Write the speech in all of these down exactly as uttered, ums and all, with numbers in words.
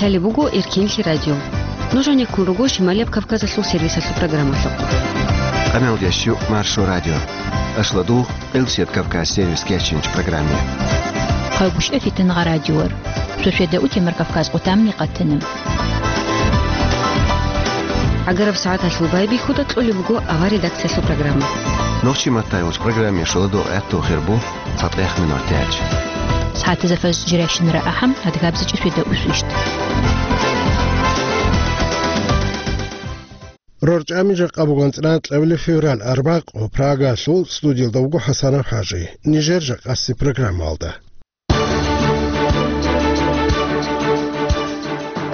Гьале буго Эркинлъи радио. Нуж гьанеккун руго Шималияб Кавказалъул сервисалъул программалъухъ. Къамелдеш Маршо радио. Ашладу Къилсият Кавказ сервис кечинч программе. Хъайгушев Фитангъа радиор. Сосиеда утемар Кавказ къутамни къатана. Агараб сагӀаталъул байбихьуда кьолеб буго авар редакциялъул программа. Нохчи маттай уч программе шуладу гӀатту хирбу. ЦатӀех минутач. СагӀатазда фаз жирайщинара ахӀам, адгабзичӀи светда усвищт. РорчӀами жакъа буган цӀран кьабили февраль арбакъо Прагалъул студиялда вуго ХӀасанов ХӀажи. Нижер жакъаси программалда.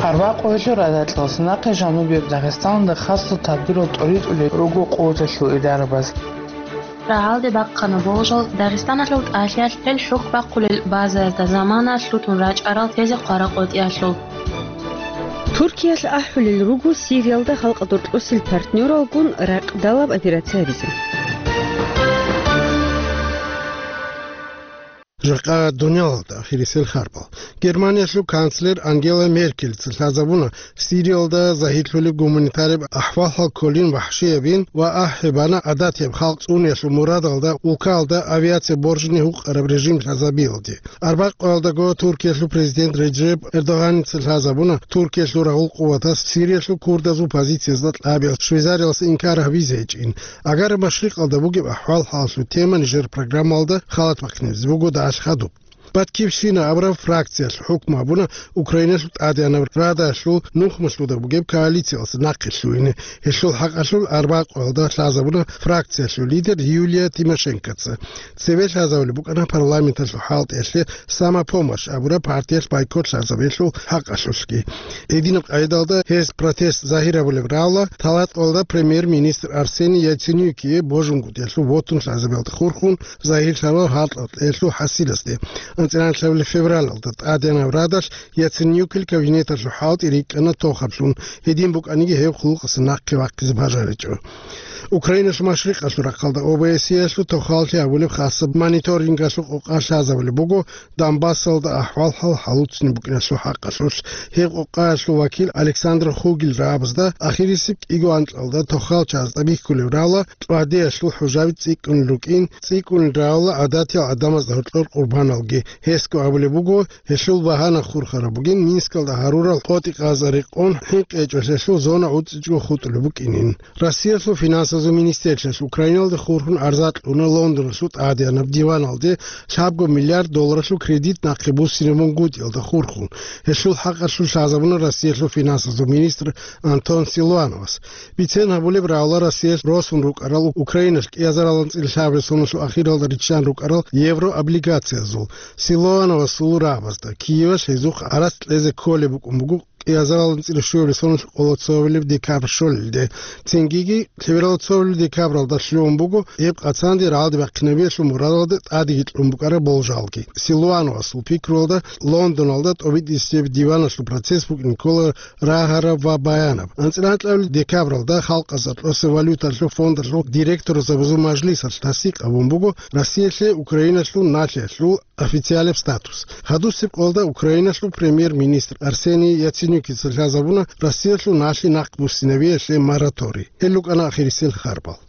Арбакъоялъул радакьалъ нахъе жанубияб Дагъистаналда хасго тадбирал тӀоритӀулел руго къуваталъул идарабаз. Рагьалде бахъана болжал Дагъистаналъул тӀалъиялъ гьел хӀухь бахъулел базаязда замана лъутун рачӀарал тезе хъварал къотӀиялъул. Туркиялъ ахӀулел руго Сириялда халкъалда рокьосел партнералгун ракъдалаб операция гьабизе. Жакъа дуниялалда ахирисел харбал. Германиялъул канцлер Ангела Меркельца лъазабуна Сириялда загьирлъулеб гуманитараб ахӀвал-хӀал кколин вахӀшиябин ва ахӀи бана гӀадатияб халкъ цӀуниялъул мурадалда улкаялда авиация боржни гьукъараб режим лъазабиялде. Арбакъоялдаго Туркиялъул президент Реджеп Эрдоганица лъазабуна Туркиялъул рагъул къуватас Сириялъул курдазул позициязда кьабиялъ Швейцариялъ инкар гьабизе гьечӀин. Агар Машрикъалда бугеб ахӀвал-хӀалалъул тема нижер программалда халат бахъинабизе буго дагьалъ хадуб. Баткивщина абураб фракциялъ хӀукму гьабуна Украиналъул ТӀадегӀанаб Радалъул нухмалъуда бугеб коалициялъ нахъе лъугьине. Гьелъул хӀакъалъулъ арбакъоялда лъазабуна фракциялъул лидер Юлия Тимошенкоца. Цеве лъазабулеб букӀана парламенталъул хӀалтӀиялъе «Самопомощь» абураб партиялъ байкот лъазабиялъул хӀакъалъулъги. Гьединаб къайдалда гьез протест загьир гьабулеб равла Талаталда премьер-министр Арсений Яценюкие божунгутӀиялъул вотун лъазабиялда хурхун загьирлъарал гьалкьалъулъ хӀасиласде. АнцӀила лъабабилеб февралалда ТӀадегӀанаб Радалъ Яценюкил кабинеталъул хӀалтӀи рикӀкӀана тохаблъун, гьедин букӀаниги гьеб хъулухъасе нахъе вахъизе бажаричӀо. Украиналъул машрикъалъул рахъалда ОБСЕялъул тохаллъи гьабулеб хасаб мониторингалъул къокъа лъазабулеб буго Донбассалда ахӀвал-хӀал хӀалуццин букӀиналъул хӀакъалъулъ. Гьеб къокъаялъул вакил Александр Хугель рагӀабазда ахирисеб кӀиго анкьалда тохал чагӀазда бихьулеб равла, тӀвадеялъул хӀужаби цӀикӀкӀунел рукӀин, цӀикӀкӀунел равла гӀадатиял гӀадамазда гьоркьор къурбаналги. Гьесго абулеб буго, гьелъул багьана хурхараб бугин Минскалда гьарурал къотӀи-къаза рекъон, хӀинкъичӀолъиялъул зона гӀуцӀичӀого хутӀулеб букӀинин. Россиялъул финансазул министерствоялъ Украиналде хурхун гӀарза кьуна Лондоналъул тӀадегӀанаб диваналде лъабго миллиард долларалъул кредит нахъе буссинаб бунгутӀиялда хурхун. Гьелъул хӀакъалъулъ лъазабуна Россиялъул финансазул министр Антон Силуановас. Бицен гьабулеб равла Россиялъ росун рукӀарал Украиналъ кӀиазарал анцӀила лъабабилеб соналъул ахиралда риччан рукӀарал еврооблигациязул. Силуановасул рагӀабазда Киевалъ гьезухъ гӀарац кьезе кколеб букӀун буго кӀиазарал анцӀила щуабилеб соналъ къоло цоабилеб декабрь щолелде. Цингиги лъеберал цоабилеб декабралда лъугьун буго гьеб къацанде рагӀалде бахъинабиялъул мурадалда тӀадеги кьун букӀараб болжалги. Силуановасул пикруялда Лондоналда тӀобитӀисеб диваналъул процесс букӀине ккола рагьараб ва баянаб. АнцӀила анкьабилеб декабралда Халкъазул гӀатласеб валюталъул фондалъул директорзабазул мажлисалъ тасдикъ гьабун буго Россиялъе Украиналъул налъиялъул официалаб статус. Гьадусеб къоялда Украиналъул премьер-министр Арсений Яценюкица лъазабуна Россиялъул налъи нахъ буссинабиялъе мораторий. Гьел рукӀана ахирисел харбал.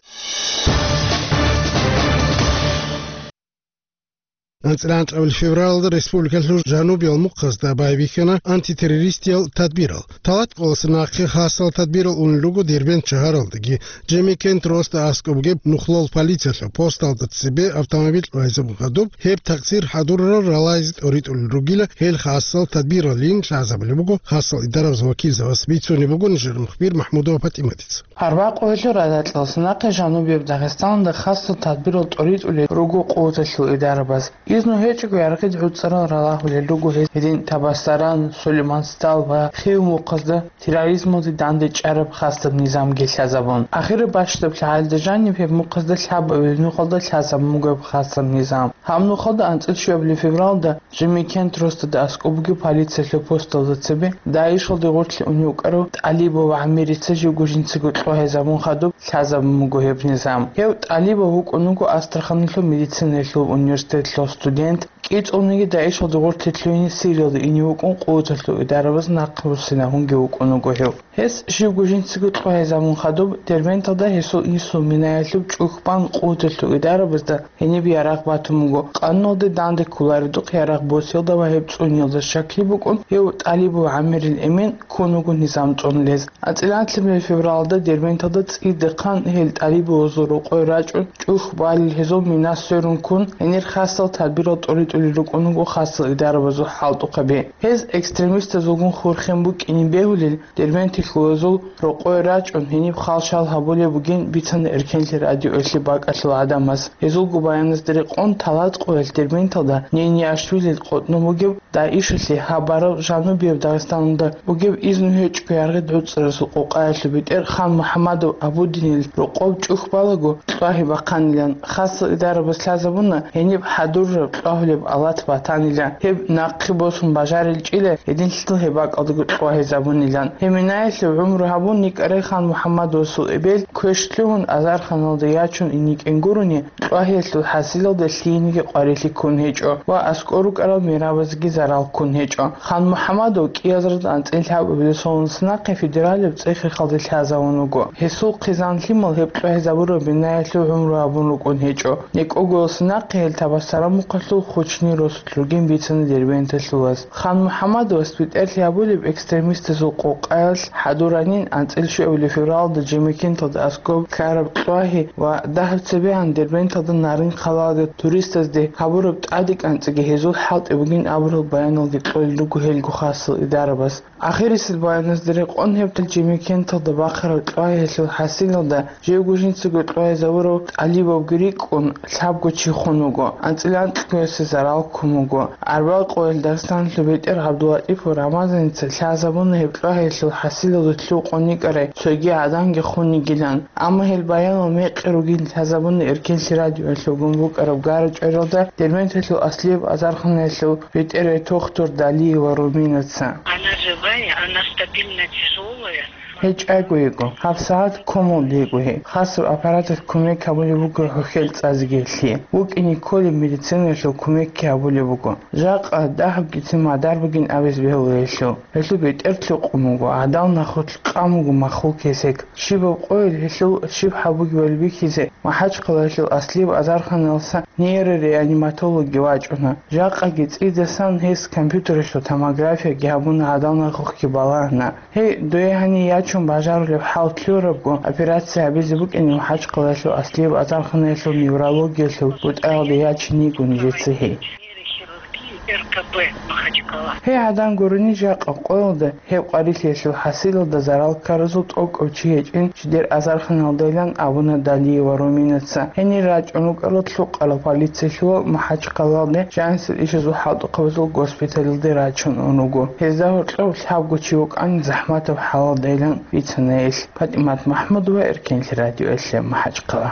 АнцӀила анкьабилеб февралалда республикалъул жанубиял мухъазда байбихьана антитеррористиял тадбирал. Талат кӀоласа нахъе хасал тадбирал унел руго Дербент шагьаралдаги. Жемикент росда аскӀоб бугеб нухлол полициялъул посталда цебе автомобиль къвайзабун хадуб, гьеб такъсир хӀадурарал ралайзе тӀоритӀулел ругила, гьел хасал тадбиралин лъазабулеб буго хасал идарабаз вакилзабаз. Бицунеб буго нижер мухбир МахӀмудова ПатӀиматица. Гьарбакъоялъул радакьалъ нахъе жанубияб Дагъистаналда хасал тадбирал тӀоритӀулел руго къуваталъул идарабаз. Изну гьечӀого яргъид гӀуцӀарал ралагьулел руго гьез гьедин Табасаран, Сулейман-Стал ва Хив мухъазда терроризмалде дандечӀараб хасаб низамги лъазабун. Ахираб бащдаб лъагӀалда жаниб гьеб мухъазда лъабабилеб нухалда лъазабун буго гьеб хасаб низам. Гьаб нухалда анцӀила щуабилеб февралда Жемикент росдада аскӀоб бугеб полициялъул посталда цебе ДАИШалде гъорлъе унев вукӀарав ТӀалибов ГӀаммирица живго жинцаго кьвагьизабун хадуб лъазабун буго гьеб низам. Гьев ТӀалибов вукӀун вуго Астраханалъул медицинаялъул университеталъул студент, ИцӀониги ДАИШалда гъорлъе лъугьине Сириялда ине вукӀун къуваталъул идарабаз нахъе буссинагьунги вукӀун вуго гьев. Гьес щибго жинцаго кьвагьизабун хадуб, Дербенталда гьесул инсул Минаялъуб чӀухь бан къуваталъул идарабазда гьениб ярагъ батун буго, къануналде данде кколаредухъ ярагъ босиялда ва гьеб цӀуниялда щаклъи букӀун, гьев ТӀалибов ГӀамирил Эмин ккун вуго низам цӀунулез. АнцӀила анлъабилеб февралда Дербенталда цӀийидахъан гьел тӀалибовазул рокъой рачӀун, чӀухь балел гьезул мина сверун ккун, гьенир хасал тадбирал тӀоритӀулел рукӀун вуго хасал идарабазул хӀалтӀухъаби. Гьез экстремистазулгун хурхен букӀине бегьулел, Дербенталъулазул рокъой рачӀун, гьениб хал-шал гьабулеб бугин бицана Эркенлъи радиоялъе бакӀалъул гӀадамаз. Гьезулго баяназда рекъон, талатӀ къоялъ Дербенталда Нениашвилил къотӀнун бугеб ДАИШалъе гьаб бараб жанубияб Дагъистаналда бугеб изну гьечӀого яргъи гӀуцӀарасул къокъаялъул бетӀер Хан МухӀамадов Абудинил рокъоб чӀухь балаго кьвагьи бахъанилан. Хасал идарабаз лъазабуна гьениб хӀадурараб кьвагьулеб алат батанила, гьеб нахъе босун бажарилчӀила, гьединлъидал гьеб бакӀалдаго кьвагьизабунилан. Гьеб минаялъе гӀумру гьабун йикӀарай Хан МухӀамадовасул эбел квеш лъугьун азарханалда ячун ине йикӀин гурони, кьвагьиялъул хӀасилалда лъиениги къварилъи ккун гьечӀо ва аскӀор рукӀарал мерабазеги зарал ккун гьечӀо. Хан МухӀамадов кӀиазарда анцӀила лъабабилеб соналдаса нахъе федералияб цӀех-рехалде лъазавун вуго. Гьесул хъизан-лъимал гьеб кьвагьизабураб минаялъул гӀумру гьабун рукӀун гьечӀо. НекӀогоялдаса нахъе гьел Табасарамукъалъул Хучни росулъ ругин бицана Дербенталъулаз. Хан МухӀамадовас бетӀерлъи гьабулеб экстремистазул къокъаялъ хӀадуранин анцӀила щуабилеб февралда Жемекенталда аскӀоб ккараб кьвагьи ва дагьаб цебегӀан Дербенталда Нарын хъалалда туристазде гьабураб тӀаде кӀанцӀиги гьезул хӀалтӀи бугин абурал баяналги кьолел руго гьелго хасал идарабаз. Ахирисел баяназда рекъон гьеб Жемекенталда бахъараб кьвагьиялъул хӀасилалда живго жинцаго кьвагьизабурав ТӀалибовги рикӀкӀун лъабго чи хун вуго, анцӀила анкьго гьесие зарал ккун вуго. Арбагъ къоялъ Дагъистаналъул бетӀер ГӀабдулатӀипов Рамазаница лъазабуна гьеб кьвагьиялъул хӀасилалда лъугьун йикӀарай цоги гӀаданги хун йигилан. Амма гьел баянал мекъи ругин лъазабуна Эркенлъи радиоялъулгун букӀараб гара-чӀваралда Дербенталъул аслияб азарханаялъул бетӀерай тухтур Далиева Руминаца. Она живая, она стабильно тяжелая. Гьей чӀаго йиго, гьабсагӀат комалда йиго гьей. Хасаб аппараталъ кумек гьабулеб буго гьохел цӀазеги гьелъие. ВукӀине кколеб медицинаялъул кумекги гьабулеб буго. Жакъа дагьабгицин мадар бугин абизе бегьула гьелъул. Гьелъул бетӀер лъукъун вуго, гӀадал нахулъ къан вуго махул кесек. Щибаб къойил гьелъул щиб гьабугебали бихьизе, МахӀачхъалаялъул аслияб азарханалдаса нейрореаниматологги вачӀуна. Жакъаги цӀидасан гьес компьютералъул томографияги гьабуна, гӀадал нахухъги балагьана. Гьей, дое гьанив ячун бажарулеб хӀал лъурабго, операция гьабизе букӀине МахӀачхъалаялъул аслияб азарханаялъул неврологиялъул бутӀаялде ячин йиго нижеца гьей. Нейрохирургии РКП Махачкала. Гьей гӀадан гурони, жакъа къоялда гьеб къварилъиялъул хӀасилалда зарал ккаразул тӀокӀав чи гьечӀин жидер азарханалдайилан абуна Далиева Руминаца. Гьенир рачӀун рукӀарал лъукъарал полициялъул МахӀачхъалалде, жанисел ишазул хӀалтӀухъабазул госпиталалде рачун ун руго. Гьезда гьоркьов лъабго чи вукӀана захӀматаб хӀалалдайилан бицана гьелъ. ПатӀимат МахӀмудова, Эркенлъи радиоялъе, МахӀачхъала.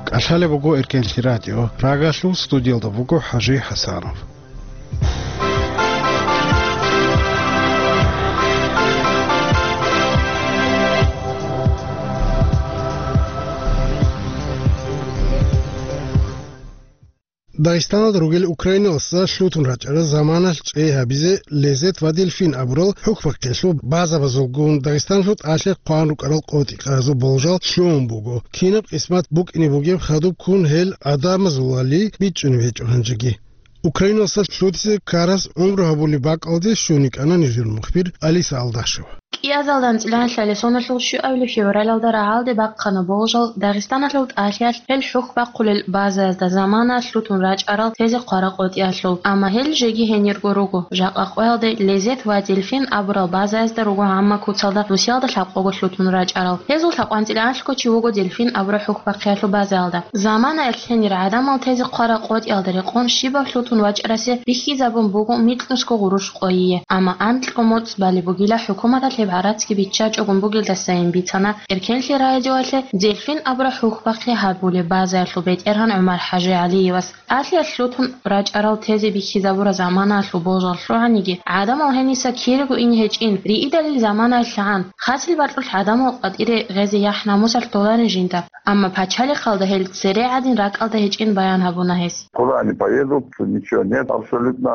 КӀалъалеб буго Эркенлъи радио. Прагалъул студиялда буго ХӀажи ХӀасанов. Дагъистаналда ругел украиналдаса лъутун рачӀарал заманалъ чӀей гьабизе Лезет ва Дельфин абурал хӀухьбахъиялъул базабазулгун Дагъистаналъул тӀалъи хъван рукӀарал къотӀи-къаразул болжал лъугӀун буго. Кинаб къисмат букӀине бугеб хадуб ккун гьел гӀадамазулали бичӀчӀунеб гьечӀо гьанжеги. Украиналдаса лъутизе ккарас гӀумру гьабулеб бакӀалде щун йикӀана нижер мухбир Алиса Алдашева. КӀиазалда анцӀила лъалесоналъул щуабилеб февралалда рагӀалде бахъана болжал Дагъистаналъул тӀалъиялъ гьел хӀухьбахъулел базаязда замана лъутун рачӀарал тезе хъварал къотӀиялъул. Амма гьел жеги гьенирго руго. Жакъа къоялде Лезет ва Дельфин абурал базаязда руго гьамма куцалда Русиялда лъабкъого лъутун рачӀарал. Гьезул лъабкъоялда анлъго чи вуго Дельфин абураб хӀухьбахъиялъул базаялда. Заманаялъ гьенир гӀадамал тезе хъварал къотӀиялда рекъон щибаб лъутун вачӀарасе бихьизабун буго микьнусго гъурущ къойие, амма анкьго моцӀ балеб бугила хӀукуматалъ гьеб гӀарацги биччачӀогун бугелдасайин бицана Эркенлъи радиоялъе Дельфин абураб хӀухьбахъи гьабулеб базаялъул бетӀергьан ГӀумар-ХӀажи ГӀалиевас. ТӀалъиялъ лъутун рачӀарал тезе бихьизабураб заманаялъул болжал лъугӀаниги, гӀадамал гьениса кирего ине гьечӀин, риидалил заманаялъ гӀан, хасил бакьулъ гӀадамал къватӀире гъезе яхӀ-намусалъ толарин жинда. Амма пачалихъалда гьел цере гӀадин ракӀалда гьечӀин баян гьабуна гьес. Куда они поедут? Ничего нет абсолютно.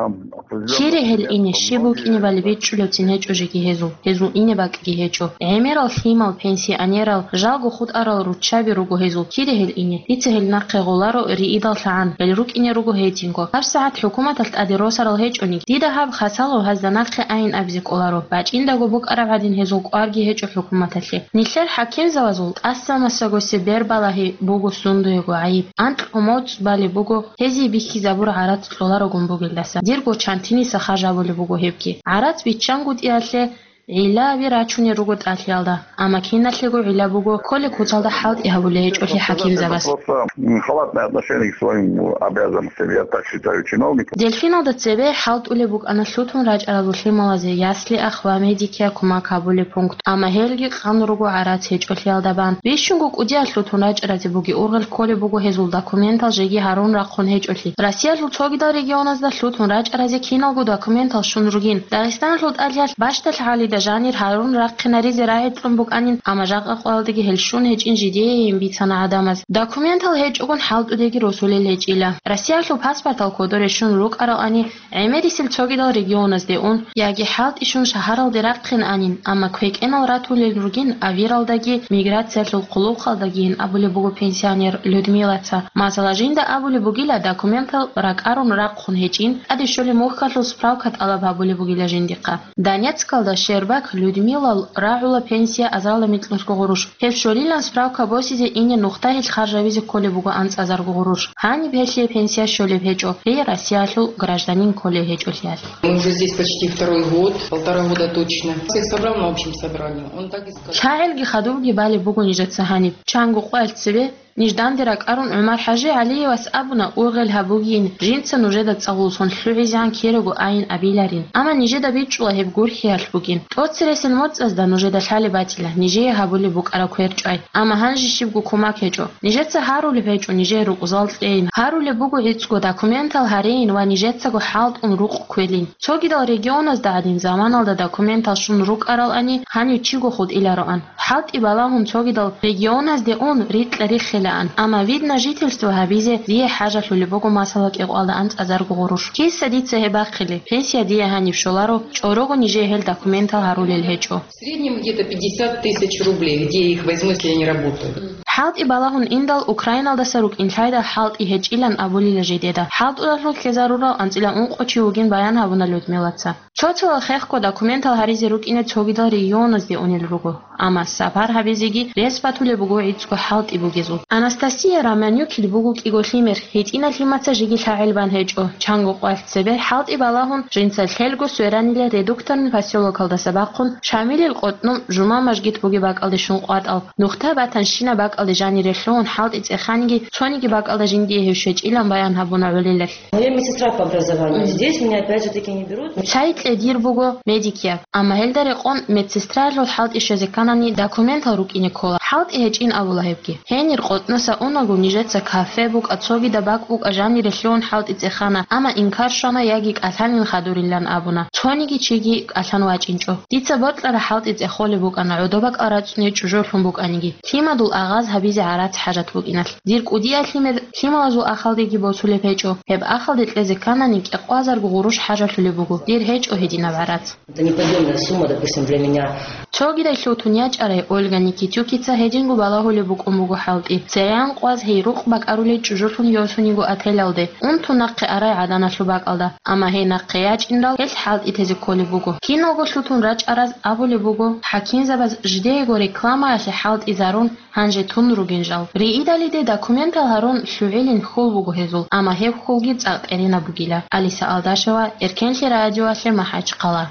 Кире гьел ине, щиб букӀинебали бичӀчӀулевцин гьечӀо жеги гьезул. Гьезул ине бакӀги гьечӀо. ГӀемерал лъимал, пенсионерал, жалго хутӀарал руччаби руго гьезул. Кире гьел ине. Дица гьел нахъе гъоларо риидал лъагӀан, гьел рукӀине руго гьединго. ГьабсагӀат хӀукуматалъ тӀаде росарал гьечӀони, дида гьаб хасало гьазда нахъе айин абизе кӀоларо, бачӀиндаго букӀараб гӀадин гьезул кӀварги гьечӀо хӀукуматалъе. Нилъер хӀакимзабазул тӀаса-масагосе бербалаги буго сундуего гӀайиб. Анкь умуцӀ балеб буго, гьезие бихьизабур гӀарац кьоларогун бугелдаса. Дирго чантиниса хажабулеб буго гьебги. ГӀарац биччангутӀиялъе гӀилаби рачунел руго тӀалъиялда, амма киналъего гӀила буго кколеб куцалда хӀалтӀи гьабулей гьечӀолъи хӀакимзабаз. Просто, м, халатное отношение к своим обязанностям, я так считаю, чиновников. Дельфиналда цебе хӀалтӀулеб букӀана лъутун рачӀарал лъималазе ясли-ах ва медикиял кумак гьабулеб пункт, амма гьелги къан руго гӀарац гьечӀолъиялда бан. Бищунго кӀудиялъ лъутун рачӀаразе буги ургъел кколеб буго гьезул документал жеги гьарун рахъун гьечӀолъи. Россиялъул цогидал регионазда лъутун рачӀаразе киналго документал щун ругин. Дагъистаналъул тӀалъиялъ бащдалъ гӀалида жанир гьарун рахъинаризе рагӀи кьун букӀанин, амма жакъа къоялдаги гьел щун гьечӀин жидеейин бицана гӀадамаз. Документал гьечӀогун хӀалтӀудеги росулел гьечӀила. Россиялъул паспортал кодоре щун рукӀаралани, гӀемерисел цогидал регионазде ун яги хӀалтӀи щун шагьаралде рахъин анин, амма квекӀенал ратулел ругин авиралдаги миграциялъул хъулухъалдагийин абулеб буго пенсионер Людмилаца. Масала, жинда абулеб бугила, документал ракӀарун рахъун гьечӀин, тӀаде щолеб мухьалъул справка тӀалаб гьабулеб бугила жиндихъа. Донецкалда Щербак Людмилал рагӀула пенсия азарилан микьнусго гъурущ. Гьеб щолилан справка босизе ине нухда гьелъ харжабизе кколеб буго анцӀазарго гъурущ. Гьаниб гьелъие пенсия щолеб гьечӀо, гьей Россиялъул гражданин кколей гьечӀолъиялъ. Мы уже здесь почти второй год, полтора года точно. Всех собрал на общем собрании. Он так и сказал. ЛъагӀелги хадубги балеб буго нижеца гьаниб. Чанго къоялъ цебе ниж данде ракӀарун ГӀумар-ХӀажи ГӀалиевас абуна, ургъел гьабугейин, жинца нужеда цӀалуллъун лъугӀизегӀан кирего айин абиларин. Амма нижеда бичӀчӀула гьеб гурхӀиялъ бугин. ТӀоцересел моцӀазда нужеда лъалеб батила, нижее гьабулеб букӀараб квер чӀвай. Амма гьанже щибго кумак гьечӀо. Нижеца гьарулеб гьечӀо нижее рукъзал кьейин. Гьарулеб буго гӀицӀго документал гьарейин ва нижецаго хӀалтӀун рукъ кквелин. Цогидал регионазда гӀадин заманалда документал щун рукӀаралани, гьанив чиго хутӀилароан. ХӀалтӀи балагьун цогидал регионазде ун рикьа-риххилаан, амма видное жительство гьабизе дие хӀажалъулеб буго масала кӀикъоялда анцӀазарго гъурущ. Киса дица гьеб бахъилеб? Пенсия дие гьаниб щоларо, чӀорого нижее гьел документал гьарулел гьечӀо. В среднем где-то пятьдесят тысяч рублей, где я их возьму, если я не работаю? ХӀалтӀи балагьун индал Украиналдаса рукӀин лъайда хӀалтӀи гьечӀилан абулила жидеда. ХӀалтӀудалъун ккезарурал анцӀила ункъо чи вугин баян гьабуна Людмилаца. Цо-цоял хехго документал гьаризе рукӀине цогидал регионазде унел руго, амма сапар гьабизеги рес батулеб буго гӀицӀго хӀалтӀи бугезул. Анастасия Романюкил буго кӀиго лъимер, гьитӀинал лъимаца жеги лъагӀел бан гьечӀо. Чанго къвалъ цебе хӀалтӀи балагьун, жинца лъелго сверанила Редукторный посёлокалдаса бахъун Шамилил къотӀнум жума мажгит бугеб бакӀалде щун къватӀал. Нухда батанщина бакӀалде жанире лъугьун хӀалтӀи цӀеханиги, цониги бакӀалда жиндие гьев щвечӀилан баян гьабуна гӀолилалъ. Но я медсестра по образованию. Мгм. Здесь меня опять же таки не берут. Лъай кьедир буго медикияб, амма гьелда рекъон медсестраялъул хӀалтӀи щвезе кканани документал рукӀине ккола. ХӀалтӀи гьечӀин абула гьебги. Гьенир къотӀноса унаго нижеца кафе букӀа, цогида бакӀ букӀа жанире лъугьун хӀалтӀи цӀехана, амма инкар щвана яги кӀалъанин хадурилан абуна. Цониги чиги кӀалъан вачӀинчӀо. Дица бокьараб хӀалтӀи цӀехолеб букӀана, гӀодобакӀал рацӀцӀуне чӀужулъун букӀаниги. Лъимадул агъаз гьабизе гӀарац хӀажат букӀиналъ. Дир кӀудиял лъимер лъималазул ахалдеги босулеб гьечӀо. Гьеб ахалде кьезе кканани кӀикъвазарго гъурущ хӀажалъулеб буго. Дир гьечӀо гьединаб гӀарац. Это неподъёмная сумма, допустим, для меня. Цогидайлъул тун ячӀарай Ольга Никитюкица гьединго балагьулеб букӀун буго хӀалтӀи. ЦерейгӀан къваз гьей рукъ бакӀарулей чӀужулъун йосуниго отелалде, унтун нахъе арай гӀаданалъул бакӀалда. Амма гьей нахъе ячӀинрал гьелъ хӀалтӀи тезе кколеб буго. Киналго лъутун рачӀараз абулеб буго, хӀакимзабаз жидеего рекламаялъе хӀалтӀизарун, гьанже тун ругин жал. Риидалиде документал гьарун лъугӀилин хьул буго гьезул, амма гьеб хьулги цӀакъ тӀеринаб бугила. Алиса Алдашева, Эркенлъи радиоялъе, МахӀачхъала.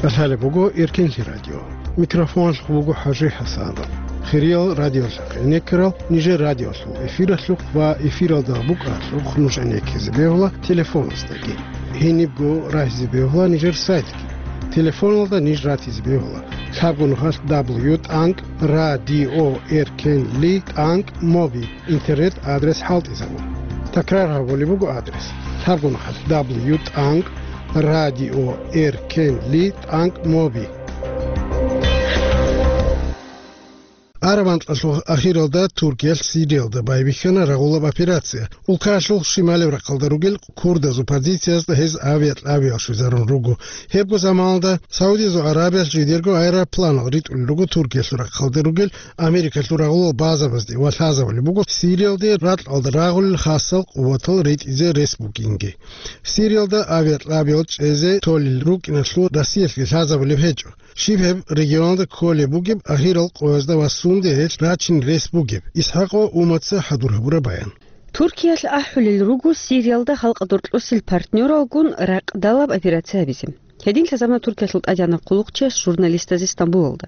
КӀалъалеб буго Эркенлъи радио. Микрофоналъухъ буго ХӀажи ХӀасанов. Хириял радиолъухъ гӀенеккарал нижер радиолъул эфиралъухъ ва эфиралда букӀаралъухъ нуж гӀенеккизе бегьула телефоназдаги. Гьенибго рагьизе бегьула нижер сайтги. Телефоналда ниж ратизе бегьула. Лъабго нухалъ дабл ю тӀанкӀ радио эркенли тӀанкӀ моби интернет адрес хӀалтӀизабун. Такрар гьабулеб буго адрес. Лъабго нухалъ дабл ю тӀанкӀ радио эркенли тӀанкӀ моби. Араб анкьалъул ахиралда Туркиялъ Сириялда байбихьана рагъулаб операция. Улкаялъул шималеб рахъалда ругел курдазул позициязда гьез авиакьабиял щвезарун руго. Гьебго заманалда Саудиязул Аравиялъ жидерго аэропланал ритӀулел руго Туркиялъул рахъалда ругел Америкалъул рагъулал базабазде ва лъазабулеб буго Сириялде ракьалда рагъулел хасал къуватал ритӀизе рес бугинги. Сириялда авиакьабиял чӀезе толел рукӀиналъул Россиялъги лъазабулеб гьечӀо. Щиб гьеб регионалда кколеб бугеб, ахирал къоязда ва сунде гьелъ рачин рес бугеб? ИсхӀакъ ва Умаца хӀадур гьабураб баян. Туркиялъ ахӀулел руго Сириялда халкъ доркьосел партнералгун ракьдалаб операция гьабизе. Гьедин лъазабуна Туркиялъул тӀадегӀанав хъулухъчияс журналистазе Стамбулалда.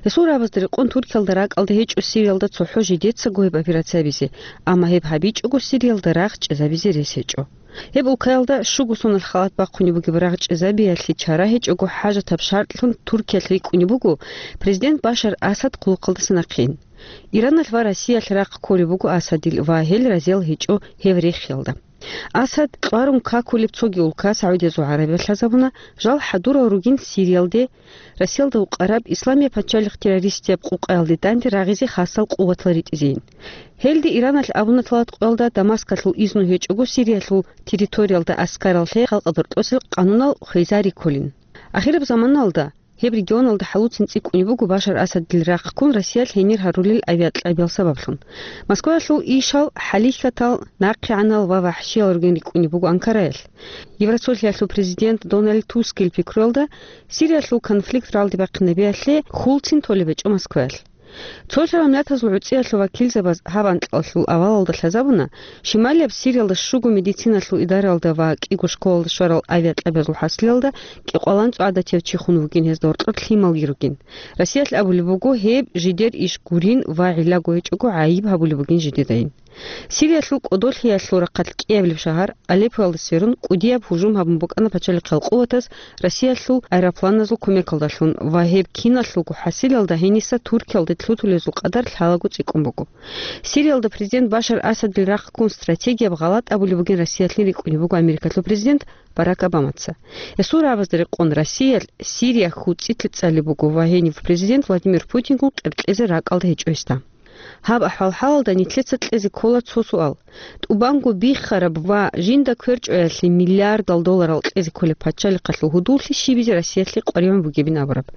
Гьесул рагӀабазда рекъон Туркиялда ракӀалда гьечӀо Сириялда цохӀо жидецаго гьеб операция гьабизе, амма гьеб гьабичӀого Сириялда рагъ чӀезабизе рес гьечӀо. Гьеб улкаялда щуго соналъ халат бахъунеб бугеб рагъ чӀезабиялъе чара гьечӀого хӀажатаб шартӀлъун Туркиялъ рикӀкӀунеб буго президент Башар Асад хъулухъалдаса нахъе ин. Ираналъ ва Россиялъ рахъ кколеб буго Асадил ва гьел разиял гьечӀо гьев рехиялда. Асад кьварун какулеб цоги улка, СагӀудиязул ГӀарабиялъ лъазабуна, жал хӀадурал ругин Сириялде, Россиялда вукъараб Исламияб пачалихъ террористияб къукъаялде данде рагъизе хасал къуватал ритӀизейин. Гьелде Ираналъ абуна талат къоялда Дамаскалъул изну гьечӀого Сириялъул территориялда аскарал лъе халкъ доркьосел къанунал хвезари кколин. Ахираб заманалда гьеб регионалда хӀалуцин цӀикӀкӀунеб буго Башар Асадил рахъ ккун Россиялъ гьенир гьарулел авиакьабиял сабаблъун. Москваялъул ишал хӀалихьатал, нахъегӀанал ва вахӀшиял ругин рикӀкӀунеб буго Анкараялъ. Евросолъиялъул президент Дональд Тускил пикруялда, Сириялъул конфликт ралде бахъинабиялъе хьулцин толеб гьечӀо Москваялъ. Цолъарал миллатазул гӀуцӀиялъул вакилзабаз гьаб анкьалъул авалалда лъазабуна, шималияб Сириялда щуго медициналъул идараялда ва кӀиго школалда щварал авиакьабазул хӀасилалда кӀикъваланцӀ гӀадатияв чи хун вугин, гьезда гьоркьор лъималги ругин. Россиялъ абулеб буго, гьеб жидер иш гурин ва гӀиллаго гьечӀого гӀайиб гьабулеб бугин жидедайин. Сириялъул кӀодолъиялъул рахъалъ кӀиабилеб шагьар Алеппоялда сверун, кӀудияб гьужум гьабун букӀана пачалихъал къуватаз Россиялъул аэропланазул кумекалдалъун ва гьеб киналъулго хӀасилалда гьениса Туркиялде лъутулезул къадар лъалаго цӀикӀкӀун буго. Сириялда президент Башар Асадил рахъ ккун стратегияб гъалатӀ абулеб бугин Россиялъе рикӀкӀунеб буго Америкалъул президент Барак Обамаца. Гьесул рагӀабазда рекъон Россиялъ Сирия хьуцӀилъи цӀалеб буго ва гьенив президент Владимир Путингун къеркьезе ракӀалда гьечӀо гьесда. Гьаб ахӀвал-хӀалалда нилъеца кьезе ккола цо суал. ТӀубанго биххараб ва жинда кверчӀоялъе миллиардал долларал кьезе кколеб пачалихъалъул гьудуллъи щибизе Россиялъе къваригӀун бугебин абураб,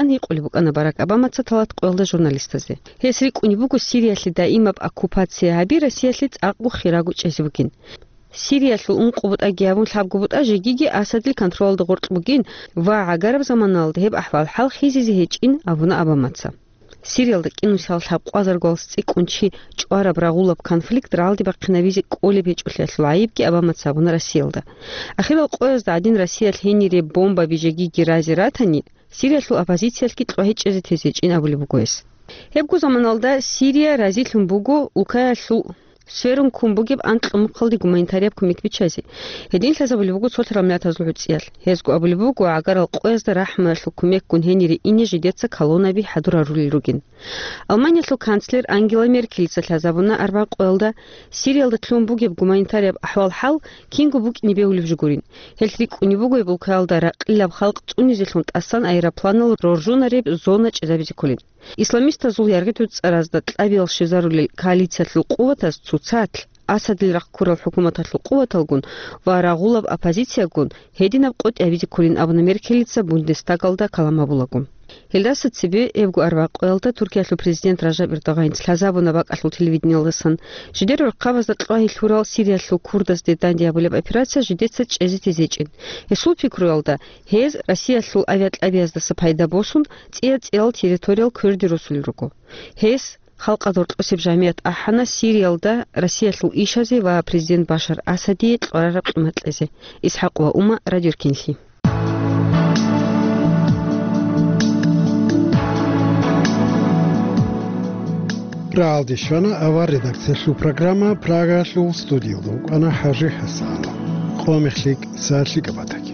ян гьикъулеб букӀана Барак Обамаца талат къоялда журналистазе. Гьес рикӀкӀунеб буго Сириялъе даимаб оккупация гьаби Россиялъе цӀакъго хирагу чӀезе бугин. Сириялъул ункъо бутӀаги гьабун лъабго бутӀа жегиги Асадил контролалда гъоркь бугин ва гӀагараб заманалда гьеб ахӀвал-хӀал хизизе гьечӀин абуна Обамаца. Сириялда кӀинусиялда лъабкъвазарго цӀикӀкӀун чи чӀвараб рагъулаб конфликт ралде бахъинабизе кӀолеб гьечӀолъиялъул гӀайибги Обамаца гьабуна Россиялда. Ахирал къоязда гӀадин Россиялъ гьенире бомбаби жегиги разе ратани, Сириялъул оппозициялъги кьвагьичӀезе тезе гьечӀин абулеб буго гьес. Гьебго заманалда Сирия разилъун буго улкаялъул сверун ккун бугеб анкьго мухъалде гуманитарияб кумек биччазе. Гьедин лъазабулеб буго цолъарал миллатазул гӀуцӀиялъ. Гьезго абулеб буго, гӀагарал къоязда рахӀмуялъул кумекгун гьенире ине жидеца колоннаби хӀадур гьарулел ругин. Алманиялъул канцлер Ангела Меркелица лъазабуна арбагъ къоялда, Сириялда лъугьун бугеб гуманитарияб ахӀвал-хӀал кинго букӀине бегьулеб жо гурин. Гьелъ рикӀкӀунеб буго гьеб улкаялда ракьилаб халкъ цӀунизелъун тӀасан аэропланал роржунареб зона чӀезабизе кколин. Исламистазул яргъи-дуцӀаразда кьабиял щвезарулел коалициялъул къуватаз цоцалъ, Асадил рахъ ккурал хӀукуматалъул къуваталгун ва рагъулаб оппозициягун гьединаб къотӀи гьабизе кколин абуна Меркелица Бундестагалда калам гьабулаго. Гьелдаса цебе, гьебго арбагъ къоялда, Туркиялъул президент Ражаб Эрдогъанец лъазабуна бакӀалъул телевидениялдасан, жидер гӀурхъабазда кьвагьи лъурал Сириялъул курдазде данде гьабулеб операция жидеца чӀезе тезечӀин. Гьесул пикруялда, гьез Россиялъул авиакьабияздаса пайда босун, цӀия-цӀиял территориял кверде росулел руго. Гьес халкъалда гьоркьосеб жамият ахӀана Сириялда Россиялъул ишазе ва президент Башар Асадие кьварараб къимат кьезе. ИсхӀакъ ва Ума, Радио Эркенлъи. Рагьалде щвана авар редакциялъул программа, Прагалъул студиялда вукӀана ХӀажи ХӀасанов. Къо мехлъи кӀса лъикӀаб батаги.